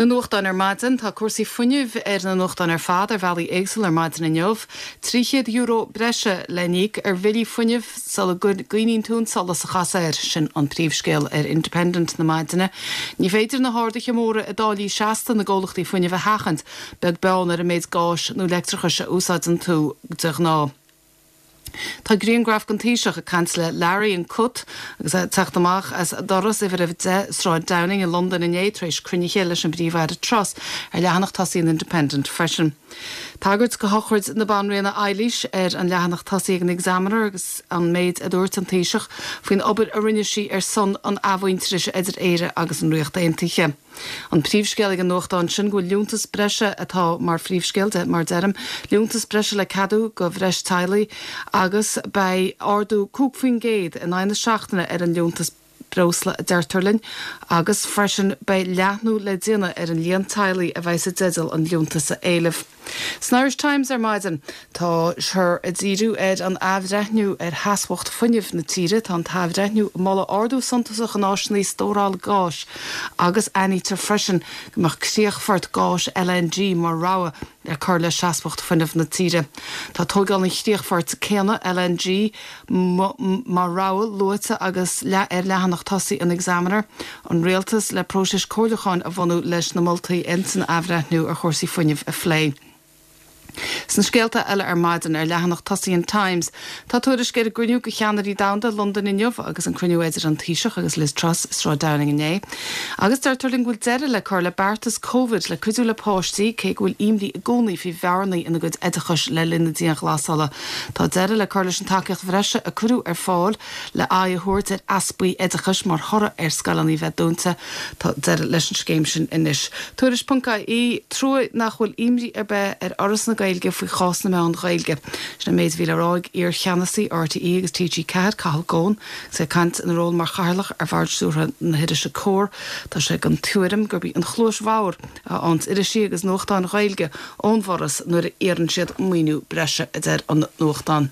Na nuachtáin ar maidin, Tá cúrsaí fuinnimh ar na nuachtáin ar fad ar bhealaí éagsúla ar maidin inniu. €300 breise le n-íoc ar bhillí fuinnimh sula gcoinníonn tú an solas a chasadh air, sin an príomhscéal ar Independent na maidine. Ní féidir na harduithe móra i dtáillí seasta na gcomhlachtaí fuinnimh a sheachaint, beag beann ar an méid gáis nó leictreachais a úsáideann tú de ghnáth. Tá grianghraf den Taoiseach ag caint le Larry an cat agus é ag teacht amach as doras uimhir a 10 Sráid Downing i Londain inné tar éis cruinnithe leis an bPríomh-Aire Truss ar leathanach tosaigh an Independent freisin. Tagairt do shochraid na Banríona Eilís ar an leathanach tosaigh ag an Examiner agus an méid a dúirt an Taoiseach faoin obair a rinne sí ar son an athmhuintearais idir Éire agus an Ríocht Aontaithe. An príomhscéal ag an nuachtán sin go bhfuil liúntas breise atá mar phríomhscéal de, mar deirim, liúntas breise le ceadú do bhreis teaghlaigh agus beidh ardú 5% in aghaidh na seachtaine ar an liúntas breosla a deirtear linn agus freisin beidh leathnú le déanamh ar an líon teaghlaigh a bheidh sa dteideal an liúntas a éileamh. San Irish Times ar maidin, táthar ag díriú ar an athbhreithniú ar sheasmhacht fuinnimh na tíre. Tá an t-athbhreithniú ag moladh ardú suntasach in áiseanna stórála gáis agus aithnítear freisin go mbeadh críochfort gáis LNG mar rogha le cur le seasmhacht fuinnimh na tíre. Tá tóigeáil an chríochfoirt céanna LNG mar rogha luaite agus ar leathanach tosaigh an Examiner, an Rialtas le próiseas comhairliúcháin a bhunú leis na moltaí ins an athbhreithniú ar chúrsaí fuinnimh a phlé. Sna scéalta eile ar maidin, ar leathanach tosaigh an Times, tá tuairisc ar an gcruinniú de cheannairí domhanda i Londain inniu agus an cruinniú idir an Taoiseach agus Liz Truss i Sráid Downing inné. Agus deirtear linn go bhfuil deireadh le cur le beartas Covid le cuidiú le páistí cé go bhfuil imní i gcónaí faoi bhearnaí ina gcuid oideachais le linn na dianghlasála. Tá deireadh le cur leis an tacaíocht bhreise a cuireadh ar fáil le aghaidh a thabhairt ar easpaí oideachais mar thoradh ar scoileanna bheith dúnta. Tá deireadh leis an scéim sin anois. Tuairisc ponc ie, Trua nach bhfuil imní ar bith ar Fhoras na Gaeilge faoi chás na meán Ghaeilge. Sin an méid a bhí le rá ag iar-cheannasaí RTÉ agus TG4, Cathal Goan, agus é ag caint ina ról mar chathaoirleach ar Bhord Stiúrtha na hirise Comhar. Tá sé den tuairim gurb í an chluais bhodhar a fhaigheanns irisí agus nuachtáin Ghaeilge ón bhForas nuair a iarrann siad maoiniú breise, a deir an nuachtán.